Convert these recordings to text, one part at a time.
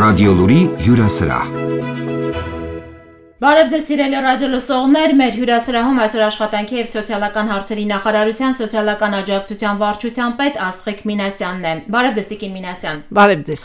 Ռադիոլուրի հյուրասրահ։ Բարև ձեզ սիրելի ռադիոլսողներ, մեր հյուրասրահում այսօր աշխատանքի և սոցիալական հարցերի նախարարության սոցիալական աջակցության վարչության պետ Աստղիկ Մինասյանն է։ Բարև ձեզ Տիկին Մինասյան։ Բարև ձեզ։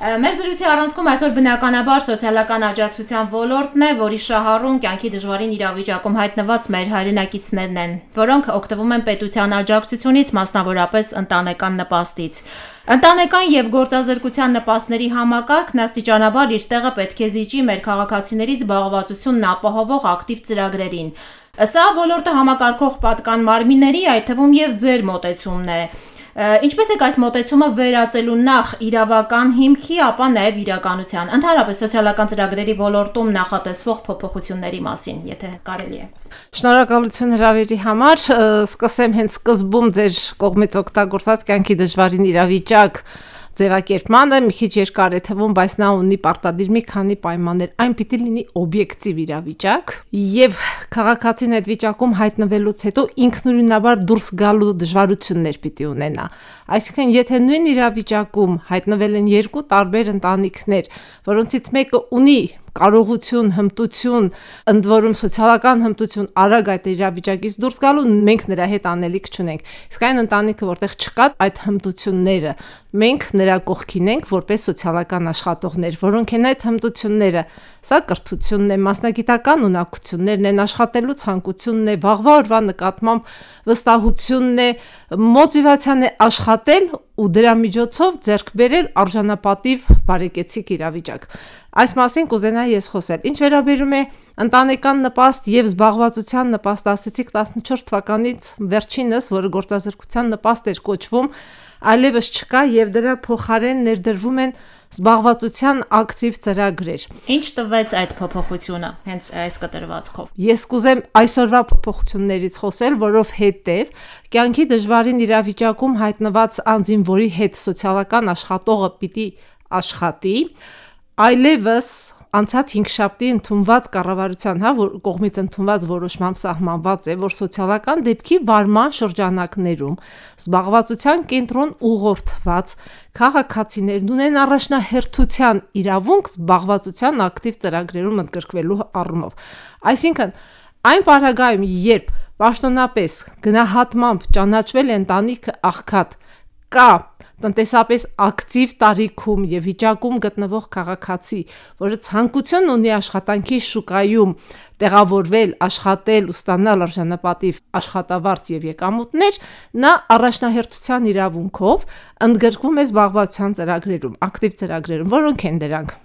Մեր զրույցի առանցքում այսօր բնականաբար սոցիալական աջակցության ոլորտն է, որի շահառուն կյանքի դժվարին իրավիճակում հայտնված մեր հայրենակիցներն են, որոնք օգտվում են պետության աջակցությունից, մասնավորապես ընտանեկան նպաստից։ Ընտանեկան և գործազրկության նպաստների համակարգն աստիճանաբար իր տեղը պետք է զիջի մեր քաղաքացիների զբաղվածությունն ապահովող ակտիվ ծրագրերին։ Սա ոլորտը համակարգող պատկան մարմինների, այդ թվում և ձեր մոտեցումն է։ Ինչպես եք այս մոտեցումը վերածելու նախ իրավական հիմքի, ապա նաև իրականության, ընդհանրապես սոցիալական ծրագրերի ոլորտում նախատեսվող փոփոխությունների մասին, եթե կարելի է։ Շնորհակալություն հրավերի համար, սկսեմ հենց սկզբում ձեր կողմից օգտագործած կյանքի դժվարին իրավիճակ ձևակերպմանը, մի քիչ երկար է թվում, բայց նա ունի պարտադիր մի քանի պայմաններ, այն պիտի լինի օբյեկտիվ իրավիճակ եւ քաղաքացին այդ վիճակում հայտնվելուց հետո ինքնուրույնաբար դուրս գալու դժվարություններ պիտի ունենա։ Այսինքն, եթե նույն իրավիճակում հայտնվել են երկու տարբեր ընտանիքներ, որոնցից մեկը ունի կարողություն, հմտություն, ընդ որում սոցիալական հմտություն արագ այդ իրավիճակից դուրս գալու, մենք նրա հետ անելիք չունենք։ Իսկ այն ընտանիքը, որտեղ չկա այդ հմտությունները, մենք նրա կողքին ենք որպես սոցիալական աշխատողներ, որոնք են այդ հմտությունները։ Սա կրթությունն է, մասնագիտական ունակություններն են, աշխատելու ցանկությունն է, վաղվա օրվա նկատմամբ վստահությունն է, մոտիվացիան է աշխատել ու դրա միջոցով ձեռք բերել արժանապատիվ բարեկեցիկ իրավիճակ։ Այս մասին կուզենայի ես խոսել։ Ինչ վերաբերում է ընտանեկան նպաստ եւ զբաղվածության նպաստ, ասեցիք 14 թվականից վերջինս, որը գործազրկության նպաստ էր կոչվում, այլևս չկա եւ դրա փոխարեն ներդրվում են զբաղվածության ակտիվ ծրագրեր։ Ինչ տվեց այդ փոփոխությունը հենց այս կտրվածքով։ Ես կուզեմ այսօրվա փոփոխություններից խոսել, որովհետեւ կյանքի դժվարին իրավիճակում հայտնված անձին, որի հետ սոցիալական աշխատողը պիտի աշխատի, այլևս անցած 5 շաբթի ընդունված կառավարության կողմից ընդունված որոշմամբ սահմանված է, որ սոցիալական դեպքի վարման շրջանակներում զբաղվածության կենտրոն ուղղորդված քաղաքացիներն ունեն առաջնահերթության իրավունք զբաղվածության ակտիվ ծրագրերում ընդգրկվելու առումով։ Այսինքն, այն պարագայում, երբ պաշտոնապես գնահատմամբ ճանաչվել է ընտանիքը աղքատ, կա տնտեսապես ակտիվ տարիքում եւ վիճակում գտնվող քաղաքացի, որը ցանկություն ունի աշխատանքի շուկայում տեղավորվել, աշխատել ու ստանալ արժանապատիվ աշխատավարձ եւ եկամուտներ, նա առաջնահերթության իրավունքով ընդգրկվում է զբաղվածության ծրագրերում, ակտիվ ծրագրերում, որոնք են դրանք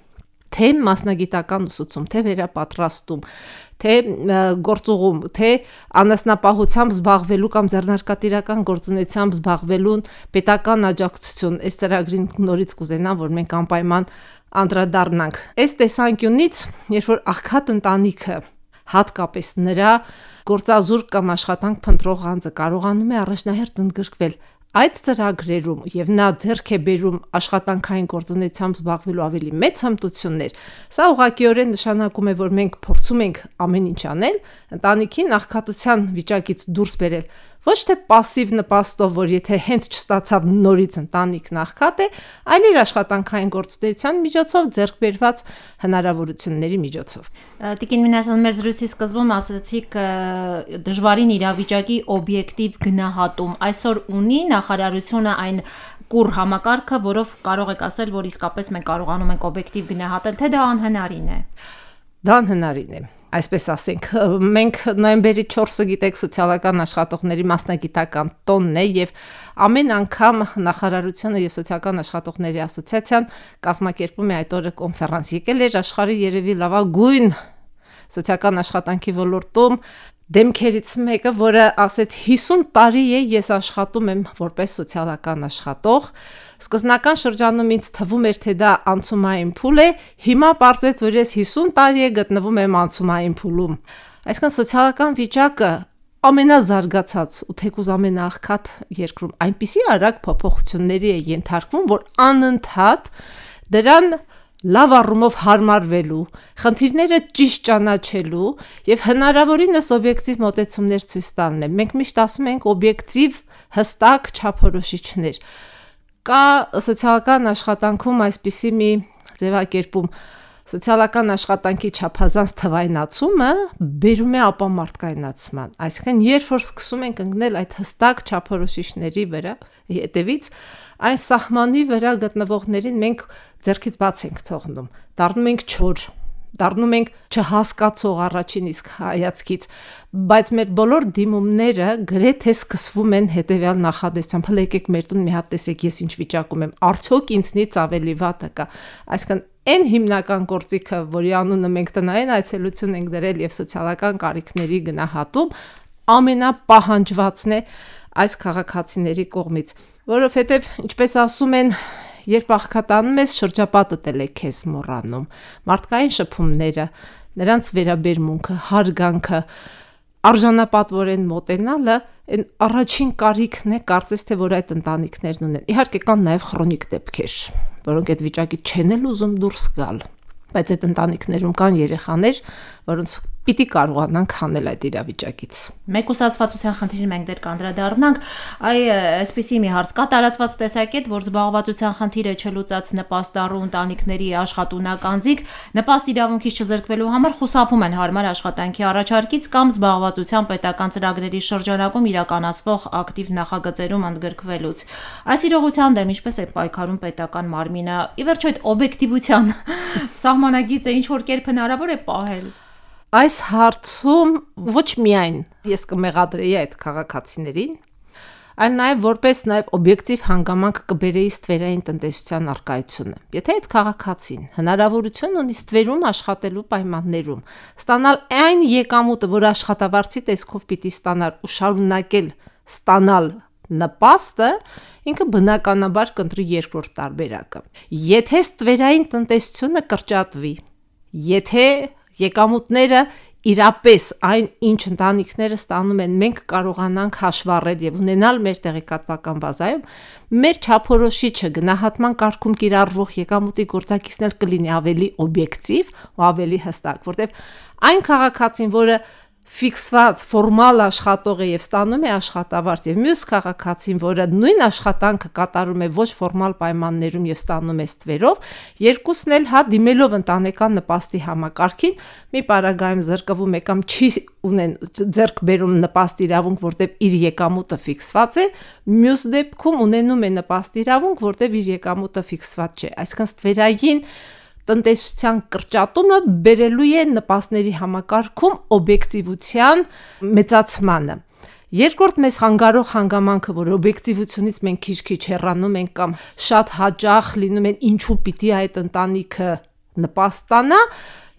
թե մասնագիտական ուսուցում, թե վերապատրաստում, թե գործուղում, թե անասնապահությամբ զբաղվելու կամ ձեռնարկատիրական գործունեությամբ զբաղվելուն պետական աջակցություն, այս ծրագրին նորից կուզենամ, որ մենք անպայման անդրադառնանք։ Այս տեսանկյունից, երբ որ աղքատ ընտանիքը, հատկապես նրա գործազուրկ կամ աշխատանք փնտրող անձը կարողանում է առաջնահերթ ընդգրկվել այդ ծրագրերում եւ նա ձեռք է բերում աշխատանքային գործունեությամբ զբաղվելու ավելի մեծ հմտություններ, սա ուղղակիորեն նշանակում է, որ մենք փորձում ենք ամեն ինչ անել, ընտանիքին աղքատության վիճակից դուրս բերել, ոչ թե пассив նպաստով, որ եթե հենց չստացավ նորից ընտանիքն աղքատ է, այլ իր աշխատանքային գործունեության միջոցով ձեռք բերված հնարավորությունների միջոցով։ Տիկին Մինասյան, մեր զրույցի սկզբում ասացիք դժվարին իրավիճակի օբյեկտիվ գնահատում։ Այսօր ունի նախարարությունը այն կուռ համակարգը, որով կարող եք ասել, որ իսկապես մենք կարողանում ենք օբյեկտիվ գնահատել, թե դա անհնարին է։ Դա անհնարին է։ Այսպես ասենք, մենք նոյեմբերի 4-ը գիտեք սոցիալական աշխատողների մասնագիտական տոնն է եւ ամեն անգամ նախարարությունը եւ սոցիալական աշխատողների ասոցիացիան կազմակերպում է այդ օրը կոնֆերանս։ Եկել էր աշխարհի երևի լավագույն սոցիալական աշխատանքի ոլորտում դեմքերից մեկը, որը ասեց 50 տարի է ես աշխատում եմ որպես սոցիալական աշխատող, սկզբնական շրջանում ինձ թվում էր, թե դա անցումային փուլ է, հիմա պարզվեց, որ ես 50 տարի է գտնվում եմ անցումային փուլում։ Այսինքն սոցիալական վիճակը ամենազարգացած ու թեկուզ ամենաաղքատ երկրում այնպիսի արագ փոփոխությունների է ենթարկվում, որ անընդհատ դրան լավ առումով հարմարվելու, խնդիրները ճիշտ ճանաչելու եւ հնարավորինս օբյեկտիվ մոտեցումներ ցույց տալն է։ Մենք միշտ ասում ենք օբյեկտիվ, հստակ չափորոշիչներ։ Կա սոցիալական աշխատանքում այսպիսի մի ձևակերպում սոցիալական աշխատանքի չափազանց թվայնացումը բերում է ապամարտկայնացման, այսինքն երբ որ սկսում ենք ընկնել այդ հստակ չափորոշիչների վրա, հետևից այն սահմանի վրա գտնվողներին մենք ձեռքից բաց ենք թողնում, դառնում ենք չոր, դառնում ենք չհասկացող առաջին իսկ հայացքից, բայց մեր բոլոր դիմումները գրեթե սկսվում են հետևյալ նախադասությամբ. հələ եկեք մեր տուն մի հատ տեսեք ես ինչ վիճակում եմ, արդյոք ինձնից ավելի վատը կա, այսինքն այն հիմնական գործիքը, որի անունը մենք տնային այցելություն ենք դրել եւ սոցիալական կարիքների գնահատում, ամենապահանջվածն է այս քաղաքացիների կողմից, որովհետեւ ինչպես ասում են, երբ աղքատանում ես, շրջապատդ էլ է քեզ մոռանում, մարդկային շփումները, նրանց վերաբերմունքը, հարգանքը, արժանապատվորեն մոտենալը այն առաջին կարիքն է, կարծես թե որ այդ ընտանիքներն ունեն։ Իհարկե կան նաև քրոնիկ դեպքեր, որոնք այդ վիճակից չեն էլ ուզում դուրս գալ, բայց այդ ընտանիքներում կան երեխաներ, որոնց պիտի կարողանանք հանել այդ իրավիճակից։ Մեկուսացվածության խնդիրը մենք դեռ կանդրադառնանք, այսպիսի մի հարց կա տարածված տեսակետ, որ զբաղվածության խնդիրը չլուծած նպաստառու ընտանիքների աշխատունակ անձիկ նպաստ իրավունքից չզրկվելու համար խուսափում են հարմար աշխատանքի առաջարկից կամ զբաղվածության պետական ծրագրերի շրջանակում իրականացվող ակտիվ նախագծերում ընդգրկվելուց։ Այս իրողության դեմ ինչպես է պայքարում պետական մարմինը, ի վերջո այդ օբյեկտիվության սահմանագիծը ինչ որ կերպ հնարավոր է պահել։ Այս հարցում ոչ միայն ես կմեղադրեի այդ քաղաքացիներին, այլ նաև որպես նաև օբյեկտիվ հանգամանք կբերեի ստվերային տնտեսության առկայությունը։ Եթե այդ քաղաքացին հնարավորություն ունի ստվերում աշխատելու պայմաններում ստանալ այն եկամուտը, որ աշխատավարձի տեսքով պիտի ստանալ ու շարունակել ստանալ նպաստը, ինքը բնականաբար կընտրի երկրորդ տարբերակը։ Եթե ստվերային տնտեսությունը կրճատվի, եթե եկամուտները իրապես այն ինչ ընտանիքները ստանում են, մենք կարողանանք հաշվառել եւ ունենալ մեր տեղեկատվական բազայում, մեր չափորոշիչը գնահատման կարգում կիրառվող եկամուտի գործակիցն էլ կլինի ավելի օբյեկտիվ ու ավելի հստակ, որտեղ այն քաղաքացին, որը ֆիքսված ֆորմալ աշխատող է եւ ստանում է աշխատավարձ եւ մյուս քաղաքացին, որը նույն աշխատանքը կատարում է ոչ ֆորմալ պայմաններում եւ ստանում է ստվերով, երկուսն էլ հա դիմելով ընտանեկան նպաստի համակարգին մի պարագայում զրկվում է կամ չի ունեն ձեռք բերում նպաստ իրավունք, որտեղ իր եկամուտը ֆիքսված է, մյուս դեպքում ունենում է նպաստ իրավունք, որտեղ իր եկամուտը ֆիքսված չէ, այսինքն ստվերային տնտեսության կրճատումը բերելու է նպաստների համակարգում օբյեկտիվության մեծացմանը։ Երկրորդ մեզ խանգարող հանգամանքը, որ օբյեկտիվությունից մենք քիչ-քիչ հեռանում ենք կամ շատ հաճախ լինում են ինչու պիտի այդ ընտանիքը նպաստ ստանա,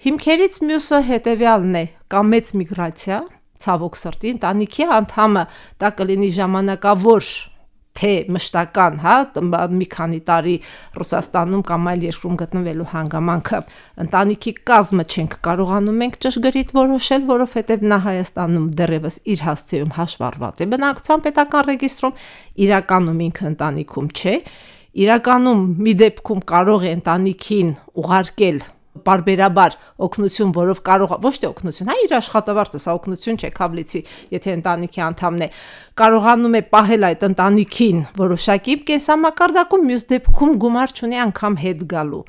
հիմքերից մյուսը հետևյալն է՝ կամ մեծ միգրացիա, ցավոք սրտի, ընտանիքի անդամը դա կլինի ժամանակավոր թե մշտական, հա, մի քանի տարի Ռուսաստանում կամ այլ երկրում գտնվելու հանգամանքը ընտանիքի կազմը չենք կարողանում մենք ճշգրիտ որոշել, որովհետև նա Հայաստանում դեռևս իր հասցեում հաշվառված է բնակչության պետական ռեգիստրում, իրականում ինքը ընտանիքում չէ, իրականում մի դեպքում կարող է ընտանիքին ուղարկել բարբերաբար օգնություն, որով կարող ոչ թե օգնություն, հա իր աշխատավարձը, սա օգնություն չէ, քավլիցի, եթե ընտանիքի անդամն է, կարողանում է պահել այդ ընտանիքին որոշակի կենսամակարդակում, մյուս դեպքում գումար չունի անգամ հետ գալու։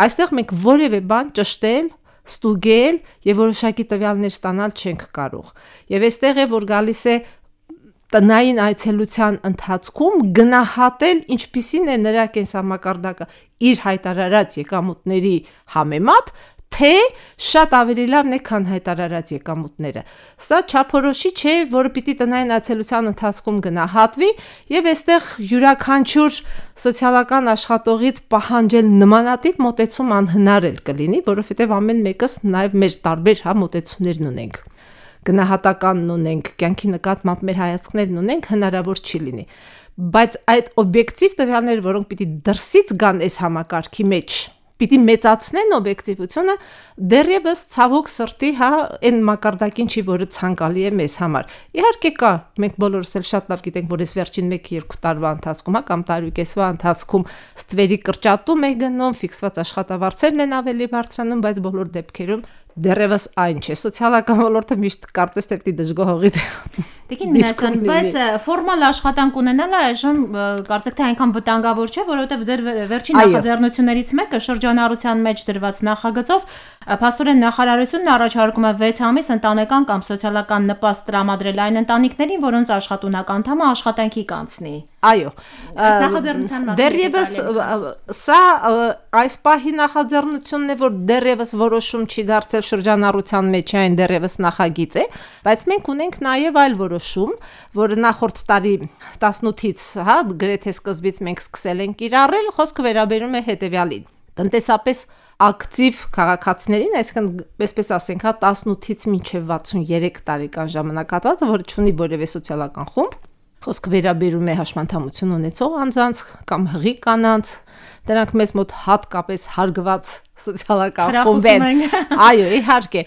Այստեղ մենք որևէ բան ճշտել, ստուգել եւ որոշակի տվյալներ ստանալ չենք կարող։ Եվ այստեղ է որ գալիս է տնային այցելության ընթացքում գնահատել ինչպիսին է նրա կենսամակարդակը իր հայտարարած եկամուտների համեմատ, թե շատ ավելի լավն է, քան հայտարարած եկամուտները։ Սա չափորոշիչ է, որը պիտի տնային այցելության ընթացքում գնահատվի, եւ այստեղ յուրաքանչյուր սոցիալական աշխատողից պահանջել նմանատիպ մոտեցում անհնար էլ կլինի, որովհետեւ ամեն մեկս նաեւ մեր տարբեր մոտեցումներն ունենք։ Գնահատականն ունենք, կյանքի նկատմամբ մեր հայացքներն ունենք, հնարավոր չի լինի։ Բայց այդ օբյեկտիվ տվյալները, որոնք պիտի դրսից գան այս համակարգի մեջ, պիտի մեծացնեն օբյեկտիվությունը, դեռևս ցավոք սրտի, հա, այն մակարդակին չի, որը ցանկալի է մեզ համար։ Իհարկե կա, մենք բոլորս էլ շատ լավ գիտենք, որ այս վերջին 1-2 տարվա ընթացքում, հա, կամ տարուկեսվա ընթացքում ստվերի կրճատում է գնում, ֆիքսված աշխատավարձերն են ավելի բարձրանում, բայց բոլոր դեպքերում դեռևս այն չէ, սոցիալական ոլորտը միշտ կարծես թե պիտի դժգոհողի Տիկին Մինասյան, բայց ֆորմալ աշխատանք ունենալը այժմ կարծեք թե այնքան վտանգավոր չէ, որովհետև ձեր վերջին նախաձեռնություններից մեկը շրջանառության մեջ դրված նախագծով փաստորեն նախարարությունն առաջարկում է 6 ամիս ընտանեկան կամ սոցիալական նպաստ տրամադրել այն ընտանիքներին, որոնց աշխատունակ անդամը աշխատանքի կանցնի։ Այո, ըստ նախաձեռնության մասին դեռևս սա այս պահի նախաձեռնությունն է, որ դեռևս որոշում չի դարձել շրջանառության մեջ, այն դեռևս նախագիծ է, բայց մենք ունենք նաև այլ որոշում, որը նախորդ տարի 18-ից, հա, գրեթե սկզբից մենք սկսել ենք կիրառել, խոսքը վերաբերում է հետևյալին. տնտեսապես ակտիվ քաղաքացիներին, այսինքն, այսպես ասենք, հա, 18-ից մինչև 63 տարեկան ժամանակահատվածը, որը չունի որևէ սոցիալական խումբ, խոսքը վերաբերում է հաշմանդամություն ունեցող անձանց կամ հղի կանանց, դրանք մեզ մոտ հատկապես հարգված սոցիալական խումբ են։ Այո, իհարկե,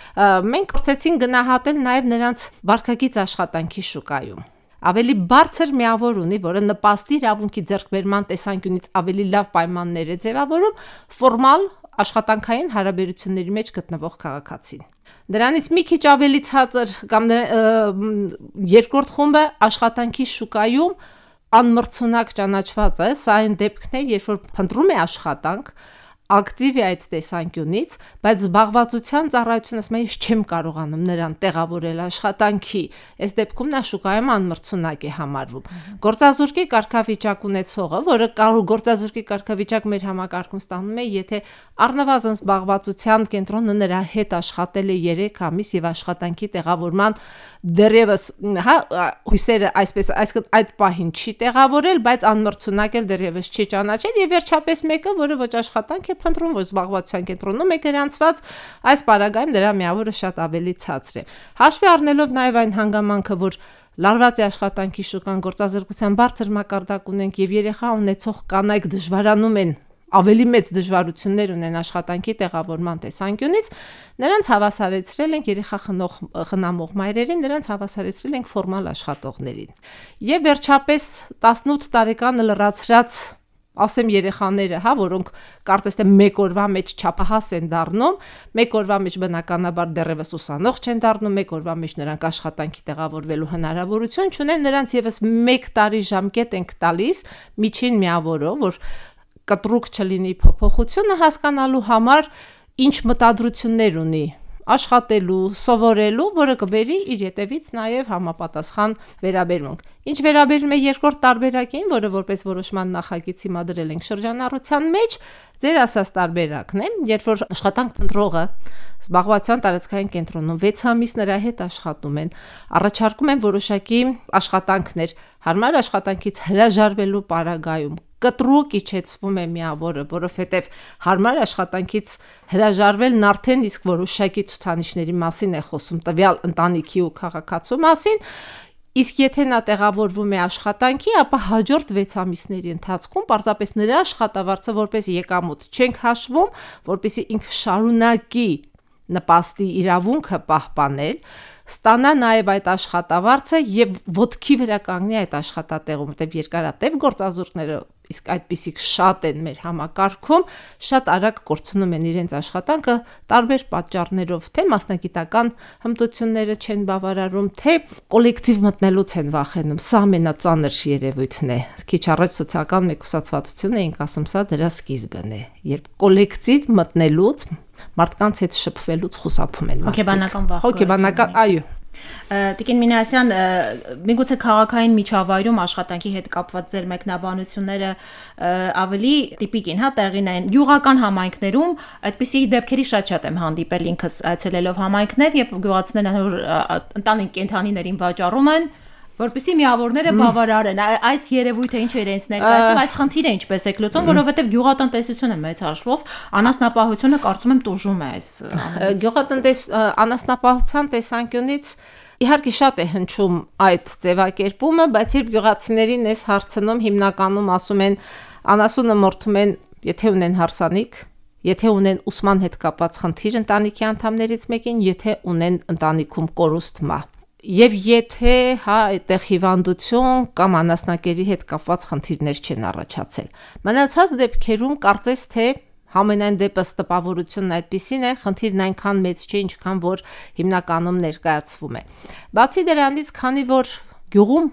մենք փորձեցինք գնահատել նաև նրանց վարքագիծ աշխատանքի շուկայում։ Ավելի բարձր միավոր ունի, որը նպաստի իրավունքի ձեռքբերման տեսանկյունից ավելի լավ պայմաններ է ձևավորում ֆորմալ աշխատանքային հարաբերությունների մեջ գտնվող քաղաքացին։ Դրանից մի քիչ ավելի ցածր կամ երկրորդ խումբը աշխատանքի շուկայում անմրցունակ ճանաչված է, սա այն դեպքն է, երբ որ փնտրում է աշխատանք, ակտիվ է այդ տեսանկյունից, բայց զբաղվածության ծառայությունը ասում է, ես չեմ կարողանում նրան տեղավորել աշխատանքի, այս դեպքում նա շուկայում անմրցունակ է համարվում։ Գործազուրկի կարգավիճակ ունեցողը, որը գործազուրկի կարգավիճակ մեր համակարգում ստանում է, եթե առնվազն զբաղվածության կենտրոնը նրա հետ աշխատել է 3 ամիս եւ աշխատանքի տեղավորման դեռևս, հա, հույսերը այսպես այդ պահին չի տեղավորել, բայց անմրցունակ էլ դեռևս չի ճանաչել եւ վերջապես մեկը, որը ոչ աշխատանք է փնտրում, ոչ զբաղվածության կենտրոնում է գրանցված, այս պարագայում դրա միավորը շատ ավելի ցածր է։ Հաշվի առնելով նաև այն հանգամանքը, որ լարված է աշխատանքի շուկան, գործազրկության բարձր մակարդակ ունենք եւ երեխա ունեցող կանայք դժվարանում են ավելի մեծ դժվարություններ ունեն աշխատանքի տեղավորման տեսանկյունից, նրանց հավասարեցրել ենք երեխա խնամող մայրերին, նրանց հավասարեցրել ենք ֆորմալ աշխատողներին։ Եվ վերջապես 18 տարեկան լրացրած ասեմ երեխաները, հա, որոնք կարծես թե մեկ օրվա մեջ չափահաս են դառնում, մեկ օրվա մեջ բնականաբար դեռևս ուսանող չեն դառնում, մեկ օրվա մեջ նրանք աշխատանքի տեղավորվելու հնարավորություն չունեն, նրանց եւս 1 տարի ժամկետ ենք տալիս միջին միավորով, որ կտրուկ չլինի փոփոխությունը հասկանալու համար ինչ մտադրություններ ունի աշխատելու, սովորելու, որը կբերի իր հետևից նաև համապատասխան վերաբերմունք։ Ինչ վերաբերում է երկրորդ տարբերակին, որը որպես որոշման նախագիծ հիմադրել ենք շրջանառության մեջ, ձեր ասած տարբերակն է, երբ որ աշխատանք փնտրողը զբաղվածության տարածքային կենտրոնում 6 ամիս նրա հետ աշխատում են, առաջարկում են որոշակի աշխատանքներ, հարմար աշխատանքից հրաժարվելու պարագայում կտրուկ իջեցվում է միավորը, որովհետև հարմար աշխատանքից հրաժարվելն արդեն իսկ որոշակի ցուցանիշների մասին է խոսում, տվյալ ընտանիքի ու քաղաքացու մասին, իսկ եթե նա տեղավորվում է աշխատանքի, ապա հաջորդ 6 ամիսների ընթացքում պարզապես նրա աշխատավարձը որպես եկամուտ չենք հաշվում, որպեսզի ինքը շարունակի նպաստի իրավունքը պահպանել, ստանա նաև այդ աշխատավարձը եւ ոտքի վրա կանգնի այդ աշխատատեղում, որտեղ երկարատև գործազուրկները իսկ այդպիսիք շատ են մեր համակարգում, շատ արագ կորցնում են իրենց աշխատանքը տարբեր պատճառներով, թե մասնագիտական հմտությունները չեն բավարարում, թե կոլեկտիվ մտնելուց են վախենում։ Սա ամենածանր երևույթն է։ Քիչ առաջ սոցիալական մեկուսացվածությունը ենք ասում, սա դրա սկիզբն է, երբ կոլեկտիվ մտնելուց մարդկանց հետ շփվելուց խուսափում են։ Հոգեբանական վախ։ Հոգեբանական, այո։ Տիկին Մինասյան, միգուցե քաղաքային միջավայրում աշխատանքի հետ կապված ձեր մեկնաբանությունները ավելի տիպիկ են, հա, տեղին են։ Գյուղական համայնքներում այդպիսի դեպքերի շատ եմ հանդիպել ինքս այցելելով համայնքներ, երբ գյուղացիները ընտանիք կենդանիներին վաճառում են, որպեսզի միավորները բավարարեն։ Այս երևույթը ինչ է իրենց ներկայացնում, այս խնդիրը ինչպես է լուծում, որովհետև գյուղատնտեսությունը մեծ հաշվով անասնապահությունը կարծում եմ տուժում է այս։ Անասնապահության տեսանկյունից իհարկե շատ է հնչում այդ ձևակերպումը, բայց երբ գյուղացիներին ես հարցնում, հիմնականում ասում են անասունը մորթում են, եթե ունեն հարսանիք, եթե ունեն ուսման հետ կապված խնդիր ընտանիքի անդամներից մեկին, եթե ունեն ընտանիքում կորուստ մահ։ Եվ եթե հա այդտեղ հիվանդություն կամ անասնակերի հետ կապված խնդիրներ չեն առաջացել։ Մնացած դեպքերում կարծես թե Համենայն դեպս տպավորությունն այդպիսին է, խնդիրն այնքան մեծ չէ, ինչքան որ հիմնականում ներկայացվում է։ Բացի դրանից, քանի որ գյուղում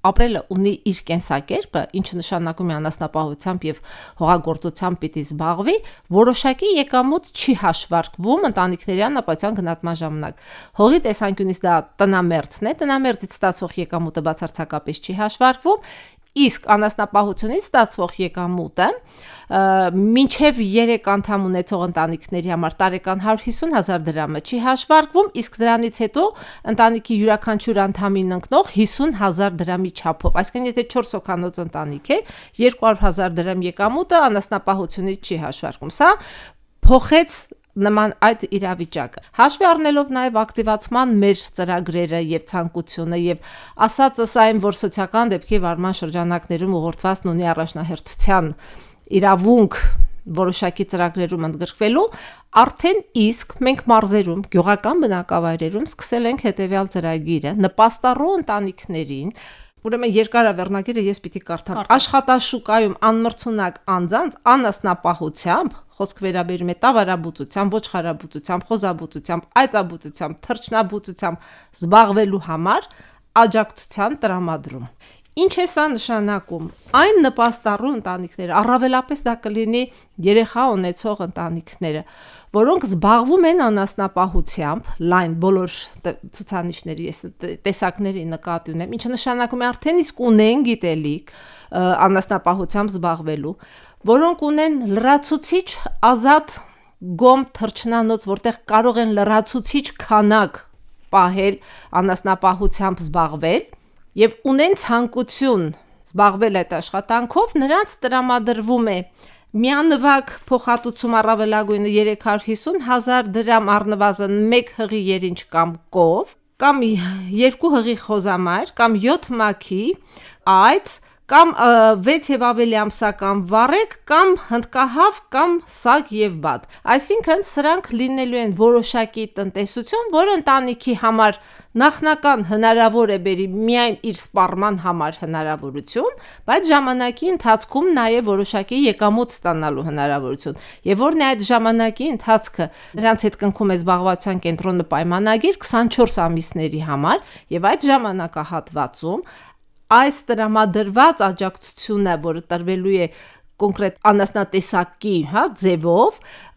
ապրելը ունի իր կենսակերպը, ինչը նշանակում է անասնապահությամբ եւ հողագործությամբ պիտի զբաղվի, որոշակի եկամուտ չի հաշվարկվում ընտանիքների անապատյան գնահատման ժամանակ։ Հողի տեսանկյունից դա տնամերձն է, տնամերձից ստացվող եկամուտը բացարձակապես չի հաշվարկվում, իսկ անասնապահությունից ստացվող եկամուտը մինչև 3 անդամ ունեցող ընտանիքների համար տարեկան 150,000 դրամը չի հաշվարկվում, իսկ դրանից հետո ընտանիքի յուրաքանչյուր անդամին ընկնող 50,000 դրամի չափով, այսինքն եթե 4 հոգանոց ընտանիք է, 200,000 դրամ եկամուտը անասնապահությունից չի հաշվարկվում։ Սա փոխեց նման այդ իրավիճակը։ Հաշվի առնելով նաև ակտիվացման մեր ծրագրերը եւ ցանկությունը եւ ասածս այն, որ սոցիալական դեպքի վարման շրջանակներում ուղղորդվածն ունի առաջնահերթության իրավունք որոշակի ծրագրերում ընդգրկվելու, արդեն իսկ մենք մարզերում, գյուղական բնակավայրերում սկսել ենք հետեւյալ ծրագիրը նպաստառու ընտանիքներին, ուրեմն երկարավեռնագիրը ես պիտի կարդամ, աշխատաշուկայում անմրցունակ անձանց անասնապահությամբ, խոսք վերաբերում է տավարաբուծությամբ, ոչխարաբուծությամբ, խոզաբուծությամբ, այծաբուծությամբ, թռչնաբուծությամբ զբաղվելու համար աջակցության տրամադրում։ Ինչ է սա նշանակում։ Այն նպաստառու ընտանիքները, առավելապես դա կլինի երեխա ունեցող ընտանիքները, որոնք զբաղվում են անասնապահությամբ, լայն բոլոր ցուցանիշների տեսակների նկատի ունեմ, ինչը նշանակում է արդեն իսկ ունեն գիտելիք անասնապահությամբ զբաղվելու, որոնք ունեն լրացուցիչ ազատ գոմ թռչնանոց, որտեղ կարող են լրացուցիչ քանակ պահել անասնապահությամբ զբաղվել եւ ունեն ցանկություն զբաղվել այդ աշխատանքով, նրանց տրամադրվում է միանվագ փոխհատուցում առավելագույնը 350,000 դրամ առնվազն 1 հղի երինչ կամ կով, կամ 2 հղի խոզամայր, կամ 7 մաքի այծ, կամ 6 եւ ավելի ամսական վառեկ, կամ հնդկահավ, կամ սագ եւ բադ։ Այսինքն սրանք լինելու են որոշակի տնտեսություն, որը ընտանիքի համար նախնական հնարավոր է բերի միայն իր սպառման համար հնարավորություն, բայց ժամանակի ընթացքում նաև որոշակի եկամուտ ստանալու հնարավորություն։ Եվ որն է այդ ժամանակի ընթացքը, նրանց հետ կնքում է զբաղվածության կենտրոնը պայմանագիր 24 ամիսների համար, եւ այդ ժամանակահատվածում այս տրամադրված աջակցությունը, որը տրվելու է կոնկրետ անասնատեսակի, ձևով,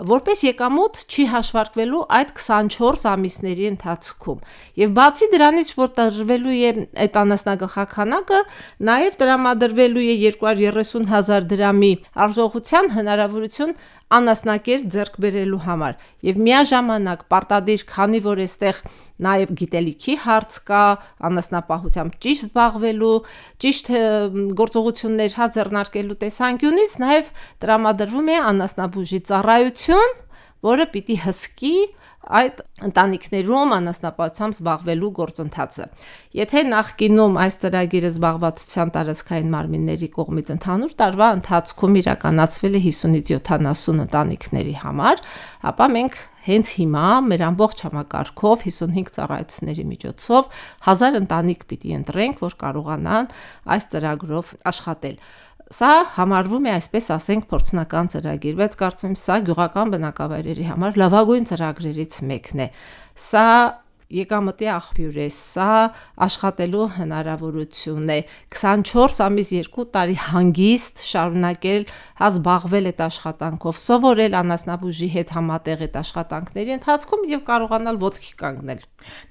որպես եկամուտ չի հաշվարկվելու այդ 24 ամիսների ընթացքում։ Եվ բացի դրանից, որ տրվելու է այդ անասնագլխաքանակը, նաև տրամադրվելու է 230,000 դրամի արժողության հնարավորություն անասնակեր ձեռք բերելու համար եւ միաժամանակ պարտադիր, քանի որ այստեղ նաեւ գիտելիքի հարց կա, անասնապահությամբ ճիշտ զբաղվելու, ճիշտ գործողություններ ձեռնարկելու տեսանկյունից նաեւ տրամադրվում է անասնաբուժի ծառայություն, որը պիտի հսկի այդ ընտանիքներում անասնապահությամբ զբաղվելու գործընթացը։ Եթե նախկինում այս ծրագիրը զբաղվածության տարածքային մարմինների կողմից ընդհանուր տարվա ընթացքում իրականացվել է 50-ից 70 ընտանիքների համար, ապա մենք հենց հիմա մեր ամբողջ համակարգով 55 ծառայությունների միջոցով 1000 ընտանիք պիտի ընտրենք, որ կարողանան այս ծրագրով աշխատել։ Սա համարվում է, այսպես ասենք, փորձնական ծրագիր, բայց կարծում եմ սա գյուղական բնակավայրերի համար լավագույն ծրագրերից մեկն է։ Սա եկամտի աղբյուր է, սա աշխատելու հնարավորություն է, 24 ամիս 2 տարի հանգիստ շարունակել զբաղվել այդ աշխատանքով, սովորել անասնաբուժի հետ համատեղ այդ աշխատանքների ընթացքում եւ կարողանալ ոտքի կանգնել։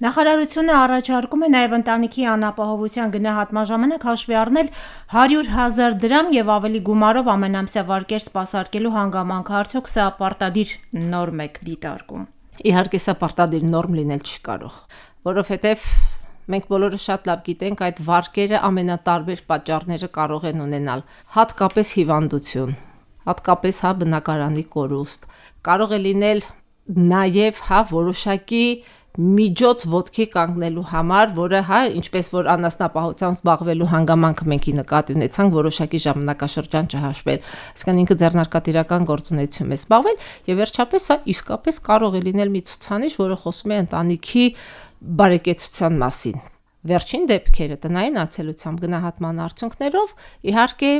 Նախարարությունը առաջարկում է նաև ընտանիքի անապահովության գնահատման ժամանակ հաշվի առնել 100,000 դրամ եւ ավելի գումարով ամենամսյա վարկեր սպասարկելու հանգամանքը, արդյոք սա պարտադիր նորմ է դիտարկում։ Իհարկե սա պարտադիր նորմ լինել չի կարող, որովհետև մենք բոլորը շատ լավ գիտենք, այդ վարկերը ամենատարբեր պատճառները կարող են ունենալ, հատկապես հիվանդություն, հատկապես բնակարանի կորուստ, կարող է լինել նաև որոշակի միջոց ոտքի կանգնելու համար, որը ինչպես որ անասնապահությամբ զբաղվելու հանգամանքը մենք նկատի ունեցանք, որոշակի ժամանակաշրջան չհաշվել, այսինքն ինքը ձեռնարկատիրական գործունեություն է զբաղվել, եւ վերջապես սա իսկապես կարող է լինել մի ցուցանիշ, որը խոսում է ընտանիքի բարեկեցության մասին։ Վերջին դեպքերը տնային ացելությամբ գնահատման արդյունքներով իհարկե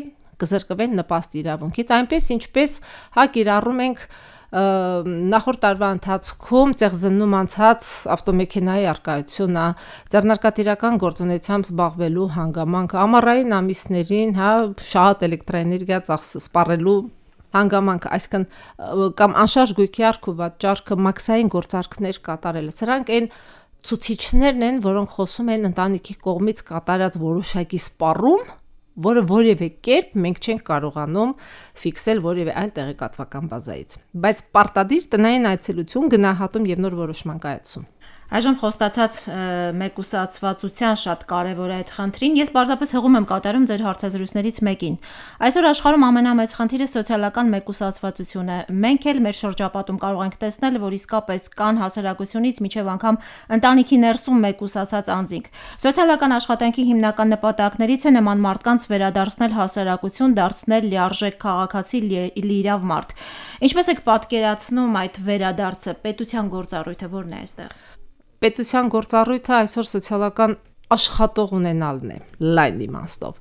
կզրկվեն նպաստ իրավունքից, այնպես ինչպես կիրառում ենք նախորդ տարվա ընթացքում ծեղզննում անցած ավտոմեքենայի արկայությունը, ձեռնարկատիրական գործունեությամբ զբաղվելու հանգամանքը, ամառային ամիսներին, շատ էլեկտրաէներգիա սպառելու հանգամանքը, այսինքն կամ անշարժ գույքի առքուվաճառքը, մաքսային գործարքներ կատարելը, սրանք այն ցուցիչներն են, որոնք խոսում են ընտանիքի կողմից կատարած որոշակի սպառում, որը որևէ կերպ մենք չենք կարողանում ֆիքսել որևէ այլ տեղեկատվական բազայից, բայց պարտադիր տնային այցելություն, գնահատում եւ նոր որոշման կայացում։ Այժմ խոստացած մեկուսացվածության շատ կարևոր է այդ խնդրին։ Ես պարզապես հղում եմ կատարում ձեր հարցազրույցներից մեկին։ Այսօր աշխարհում ամենամեծ խնդիրը սոցիալական մեկուսացվածությունն է։ Մենք էլ մեր շրջապատում կարող ենք տեսնել, որ իսկապես կան հասարակությունից մինչև անգամ ընտանիքի ներսում մեկուսացած անձինք։ Սոցիալական աշխատանքի հիմնական նպատակներից է նման մարդկանց վերադարձնել հասարակություն, դարձնել լիարժեք քաղաքացի, լիիրավ մարդ։ Ինչպես եք պատկերացնում այդ վերադարձը, պետության գործառույթը որն է այստեղ։ Պետության գործառույթը այսօր սոցիալական աշխատող ունենալն է, լայն իմաստով։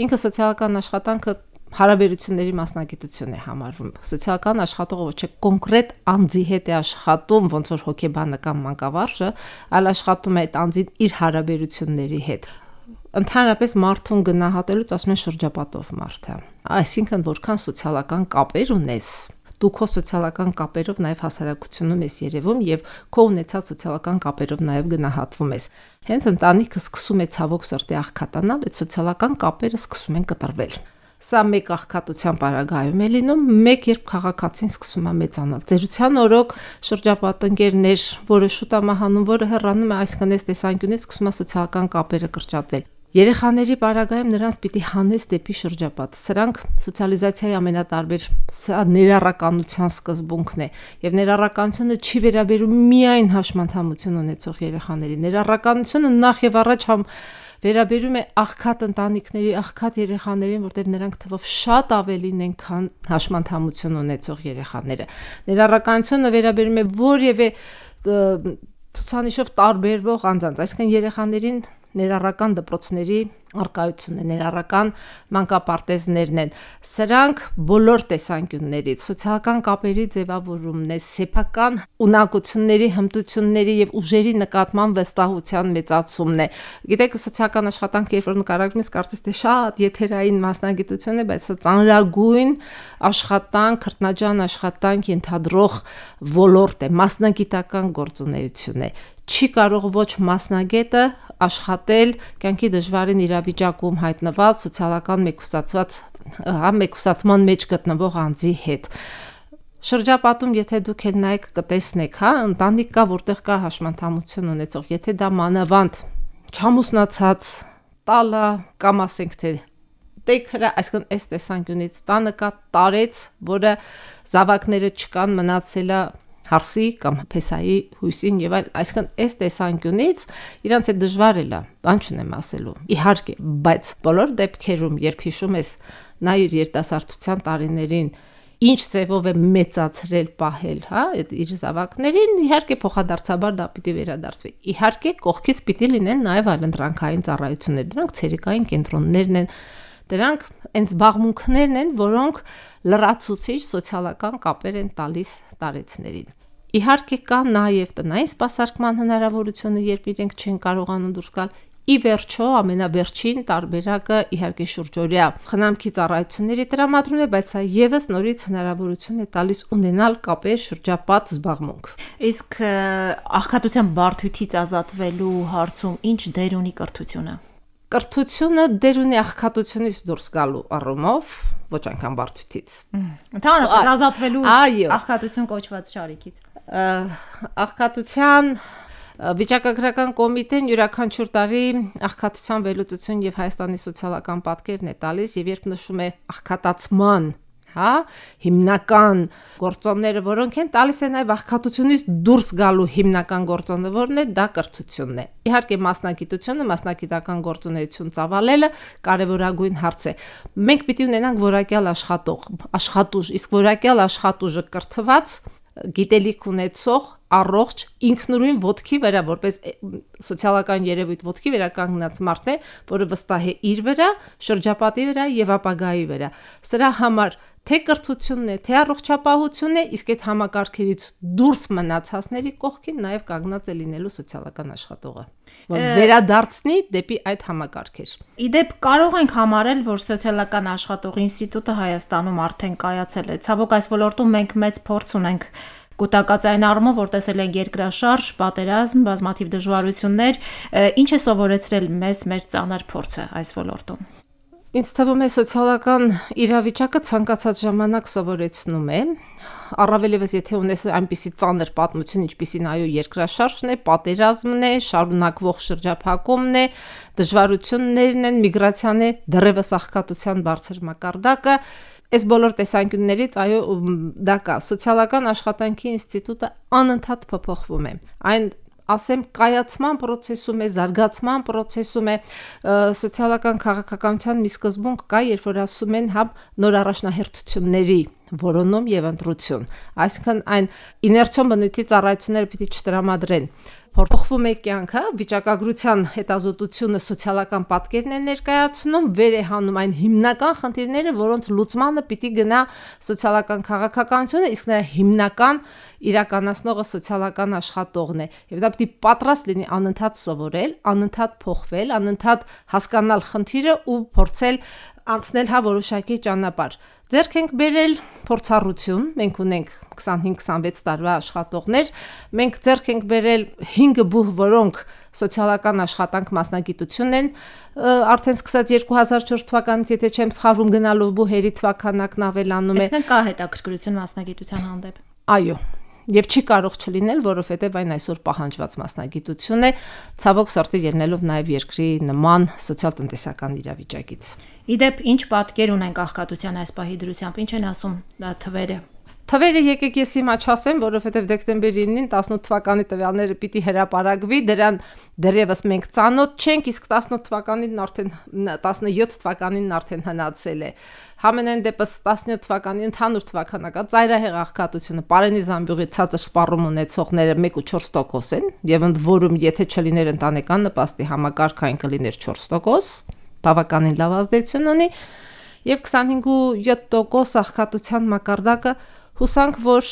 Ինքը սոցիալական աշխատանքը հարաբերությունների մասնագիտություն է համարվում։ Սոցիալական աշխատողը ոչ թե կոնկրետ անձի հետ է աշխատում, ոնց որ հոգեբանը կամ մանկավարժը, այլ աշխատում է այդ անձին իր հարաբերությունների հետ։ Ընդհանրապես մարդուն գնահատելուց ասում են շրջապատով մարդը։ Այսինքն որքան սոցիալական կապեր ունես, դու քո սոցիալական կապերով նաև հասարակությունում ես երևում եւ քո ունեցած սոցիալական կապերով նաև գնահատվում ես։ Հենց ընտանիքը սկսում է ցավոք սրտի աղքատանալ, այդ սոցիալական կապերը սկսում են կտրվել։ Սա մեկ աղքատության պարագայում է լինում, մեկ երբ քաղաքացին սկսում է մեծանալ։ Ծերության օրոք շրջապատընկերներ, որը շուտ է մահանում, որը հեռանում է, այսինքն այս տեսանկյունից սկսում է սոցիալական կապերը կրճատվել։ Երեխաների պարագայում նրանց պիտի հանես դեպի շրջապատ։ Սրանք սոցիալիզացիայի ամենատարբեր ներառականության սկզբունքն է, եւ ներառականությունը չի վերաբերում միայն հաշմանդամություն ունեցող երեխաների։ Ներառականությունը նախ եւ առաջ վերաբերում է աղքատ ընտանիքների, աղքատ երեխաներին, որտեղ նրանք թվով շատ ավելին են, քան հաշմանդամություն ունեցող երեխաները։ Ներառականությունը վերաբերում է որևէ ցուցանիշով տարբերվող անձանց, այսինքն երեխաներին ներառական դպրոցների արկայությունն է, ներառական մանկապարտեզներն են։ Սրանք բոլոր տեսանկյուններից սոցիալական կապերի ձևավորումն է, սեփական ունակությունների, հմտությունների եւ ուժերի նկատմամբ վստահության մեծացումն է։ Գիտեք, սոցիալական աշխատանքը, երբ որ նկարագրում ես, կարծես թե շատ եթերային մասնագիտություն է, բայց սա ծանրագույն աշխատանք, քրտնաջան աշխատանք ենթադրող ոլորտ է, մասնագիտական գործունեություն է։ Չի կարող ոչ մասնագետը աշխատել կյանքի դժվարին իրավիճակում հայտնված սոցիալական մեկուսացման մեջ գտնվող անձի հետ։ Շրջապատում, եթե դուք էլ նայեք կտեսնեք, ընտանիք կա, որտեղ կա հաշմանդամություն ունեցող, եթե դա մանավանդ չամուսնացած տալը կամ ասենք թե տեքրը, այսինքն այս տեսանկյունից տանը կա տարեց, որը զավակները չկան, մնացել է հարսի կամ փեսայի հույսին եւ այլ, այսինքն այս տեսանկյունից իրանց է դժվար է, բան չունեմ ասելու։ Իհարկե, բայց բոլոր դեպքերում, երբ հիշում ես նա իր երիտասարդության տարիներին ինչ ձևով է մեծացրել, պահել, այդ իր զավակներին, իհարկե փոխադարձաբար դա պիտի վերադարձվի։ Իհարկե, կողքից պիտի լինեն նաեւ այլընտրանքային ծառայություններ, դրանք ցերեկային կենտրոններն են, դրանք այն զբաղմունքներն են, որոնք լրացուցիչ սոցիալական կապեր են տալիս տարեցներին։ Իհարկե կա նաև տնային սպասարկման հնարավորությունը, երբ իրենք չեն կարողանում դուրս գալ։ Ի վերջո ամենավերջին տարբերակը իհարկե շուրջօրյա խնամքի ծառայությունների տրամադրումն է, բայց սա եւս նորից հնարավորություն է տալիս ունենալ կապեր շրջապատ զբաղմունք։ Իսկ աղքատության բարդությունից ազատվելու հարցում ինչ դեր ունի կրթությունը։ Կրթությունը դեր ունի աղքատությունից դուրս գալու առումով, ոչ այնքան բարդությունից։ Ընդհանրապես ազատվելու աղքատություն կոչված շարիկից։ Աղքատության վիճակագրական կոմիտեն յուրաքանչյուր տարի աղքատության վերլուծություն եւ Հայաստանի սոցիալական պատկերն է տալիս, եւ երբ նշում է աղքատացման հիմնական գործոնները, որոնք են տալիս է նաև աղքատությունից դուրս գալու հիմնական գործոնը, որն է դա կրթությունն է։ Իհարկե մասնագիտությունը, մասնագիտական գործունեություն ծավալելը կարևորագույն հարց է։ Մենք պիտի ունենանք որակյալ աշխատուժ, իսկ որակյալ աշխատուժը կրթված, գիտելիք ունեցող, առողջ ինքնուրույն ոտքի վրա, որպես սոցիալական երևույթ ոտքի վրա կանգնած մարդն է, որը վստահ է իր վրա, շրջապատի վրա եւ ապագայի վրա։ Սրա համար թե կրթությունն է, թե առողջապահությունն է, իսկ այդ համակարգերից դուրս մնացածների կողքին նաև կանգնած է լինելու սոցիալական աշխատողը, որ վերադարձնի դեպի այդ համակարգեր։ Իդեպ կարող ենք համարել, որ սոցիալական աշխատողի ինստիտուտը Հայաստանում արդեն կայացել է։ Ցավոք այս ոլորտում մենք մեծ փորձ ունենք կուտակած այն առումով, որ տեսել ենք երկրաշարժ, պատերազմ, բազմաթիվ դժվարություններ, ինչ է սովորեցրել մեզ մեր ծանր փորձը այս ոլորտում։ Ինձ թվում է սոցիալական իրավիճակը ցանկացած ժամանակ սովորեցնում է, առավելևս եթե ունես այնպիսի ծանր պատմություն, ինչպիսին այո երկրաշարժն է, պատերազմն է, շարունակվող շրջափակումն է, դժվարություններն են, միգրացիան է, դեռևս աղքատության բարձր մակարդակը, այս բոլոր տեսանկյուններից այո դա կա։ Սոցիալական աշխատանքի ինստիտուտը անընդհատ փոփոխվում է։ Այն ասեմ կայացման process-ում է, զարգացման process-ում է, սոցիալական քաղաքականության մի սկզբունք կա, երբ որ ասում են հա նոր առաջնահերթությունների որոնում եւ ընտրություն, այսինքն այն իներցիոն բնույթի ծառայությունները պիտի չտրամադրեն։ Փոխվում է կյանքը, վիճակագրության հետազոտությունը սոցիալական պատկերն է ներկայացնում, վեր է հանում այն հիմնական խնդիրները, որոնց լուծմանը պիտի գնա սոցիալական քաղաքականությունը, իսկ նրա հիմնական իրականացնողը սոցիալական աշխատողն է։ Եվ դա պիտի պատրաստ լինի անընդհատ սովորել, անընդհատ փոխվել, անընդհատ հասկանալ խնդիրը ու փորձել անցնել հա որոշակի ճանապարհ։ Ձեռք ենք բերել փորձառություն, մենք ունենք 25-26 տարվա աշխատողներ, մենք ձեռք ենք բերել 5 բուհ, որոնք սոցիալական աշխատանք մասնագիտություն են, արդեն սկսած 2004 թվականից, եթե չեմ սխալվում, գնալով բուհերի թվականակն ավելանում է։ Այսինքն կա հետաքրքրություն մասնագիտության հանդեպ։ Այո։ Եվ չի կարող չլինել, որովհետև այն այսօր պահանջված մասնագիտություն է, ցավոք սրտի ելնելով նաև երկրի նման սոցիալ-տնտեսական իրավիճակից։ Իդեպ ինչ պատկեր ունենք աղքատության այս պահի դրությամբ, ինչ են ասում թվերը։ Թվերը եկեք ես հիմա չասեմ, որովհետև դեկտեմբերի 9-ին 18 թվականի տվյալները պիտի հրապարակվի, դրան դեռևս մենք ծանոթ չենք, իսկ 18 թվականին արդեն 17 թվականին արդեն հնացել է։ Համենայն դեպս 17 թվականի ընդհանուր թվականական ծայրահեղ աղքատությունը Պարենի Զամբյուղի ցածր սպառում ունեցողները 1.4% են, եւ ընդ որում եթե չլիներ ընտանեկան նպաստի համակարգ այն կլիներ 4%, բավականին լավ ազդեցություն ունի, եւ 25.7% աղքատության մակարդակը հուսանք, որ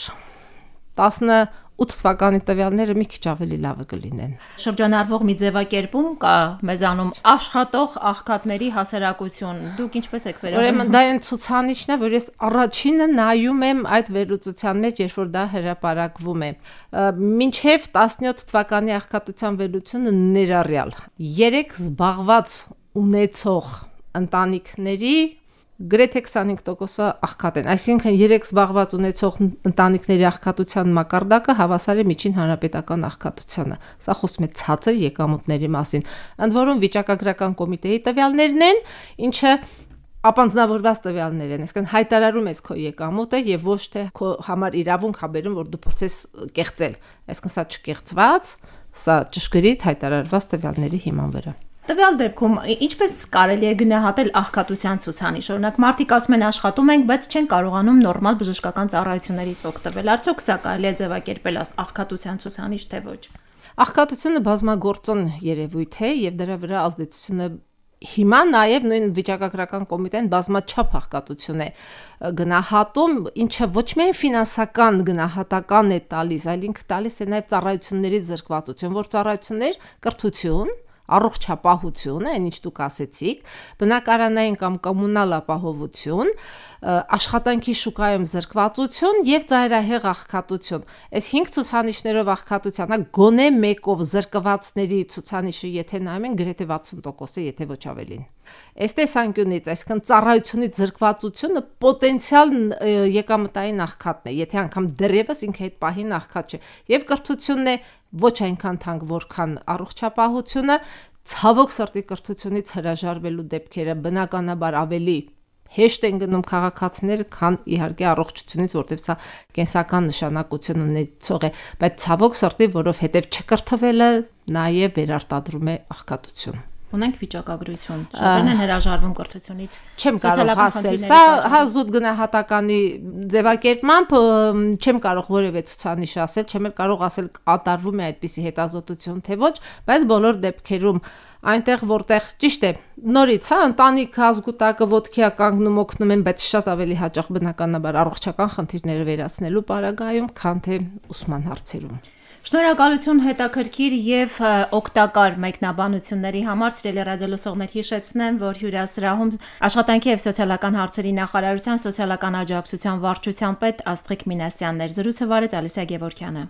18 թվականի տվյալները մի քիչ ավելի լավը կլինեն։ Շրջանառվող մի ձևակերպում կա մեզանում աշխատող աղքատների հասարակություն։ Դուք ինչպես եք վերաբերվում։ Ուրեմն դա այն ցուցանիշն է, որ ես առաջինը նայում եմ այդ վերլուծության մեջ, երբ որ դա հրապարակվում է։ Մինչև 17 թվականի աղքատության վերլուծությունը ներառյալ 3 զբաղված ունեցող ընտանիքների գրեթե 25%-ը աղքատ են, այսինքն 3 զբաղված ունեցող ընտանիքների աղքատության մակարդակը հավասար է միջին հանրապետական աղքատությանը։ Սա խոսում է ցածր եկամուտների մասին, ընդ որում վիճակագրական կոմիտեի տվյալներն են, ինչը ապանձնավորված տվյալներ են, այսինքն հայտարարում ես քո եկամուտը եւ ոչ թե քո համար իրավունք հաբերում, որ դու փորձես կեղծել, այսինքն սա չկեղծված, սա ճշգրիտ հայտարարված տվյալների հիման վրա։ Տվյալ դեպքում ինչպես կարելի է գնահատել աղքատության ցուցանիշ։ Օրինակ մարդիկ ասում են աշխատում ենք, բայց չեն կարողանում նորմալ բժշկական ծառայություններից օգտվել։ Արդյոք սա կարելի է ձևակերպել աղքատության ցուցանիշ թե ոչ։ Աղքատությունը բազմագործոն երևույթ է եւ դրա վրա ազդեցությունը հիմա նաև նույն վիճակագրական կոմիտեն բազմաչափ աղքատություն է գնահատում, ինչը ոչ միայն ֆինանսական գնահատական է տալիս, այլ ինքը տալիս է նաև ծառայությունների զրկվածություն, որ ծառայություններ կրթություն, առողջապահություն, այն ինչ դուք ասեցիք, բնակարանային կամ կոմունալ ապահովություն, աշխատանքի շուկայում զրկվածություն եւ ծայրահեղ աղքատություն։ Այս 5 ցուցանիշներով աղքատության, գոնե մեկով զրկվածների ցուցանիշը եթե նայում են գրեթե 60% է, եթե ոչ ավելին։ Այս տեսանկյունից, այսինքն ծառայությունից զրկվածությունը պոտենցիալ եկամտային աղքատն է, եթե անգամ դեռևս ինքը այդ պահին աղքատ չէ։ Եվ կրթությունն է ոչ այնքան թանկ, որքան առողջապահությունը, ցավոք սրտի կրթությունից հրաժարվելու դեպքերը բնականաբար ավելի հեշտ են գնում քաղաքացիները, քան իհարկե առողջությունից, որտեղ սա կենսական նշանակություն ունեցող է, բայց ցավոք սրտի, որովհետև չկրթվելը նաև վերարտադրում է աղքատություն։ Ունենք վիճակագրություն, շատերն են հրաժարվում կրթությունից։ Չեմ կարող ասել, սա հազուտ գնահատականի ձևակերպմամբ չեմ կարող որևէ ցուցանիշ ասել, չեմ էլ կարող ասել կատարվում է այդպիսի հետազոտություն թե ոչ, բայց բոլոր դեպքերում այնտեղ որտեղ ճիշտ է, նորից ընտանիք ազգուտակը ոտքի է կանգնում օգնում են, բայց շատ ավելի հաճախ բնականաբար առողջական խնդիրները վերացնելու պարագայում, քան թե ուսման հարցերում։ Շնորհակալություն հետաքրքիր եւ օգտակար մեկնաբանությունների համար, սիրելի ռադիոլսողներ, հիշեցնեմ, որ հյուրասրահում աշխատանքի եւ սոցիալական հարցերի նախարարության սոցիալական աջակցության վարչության պետ Աստղիկ Մինասյանն էր։ Զրույցը վարեց Ալիսա Գևորգյանը։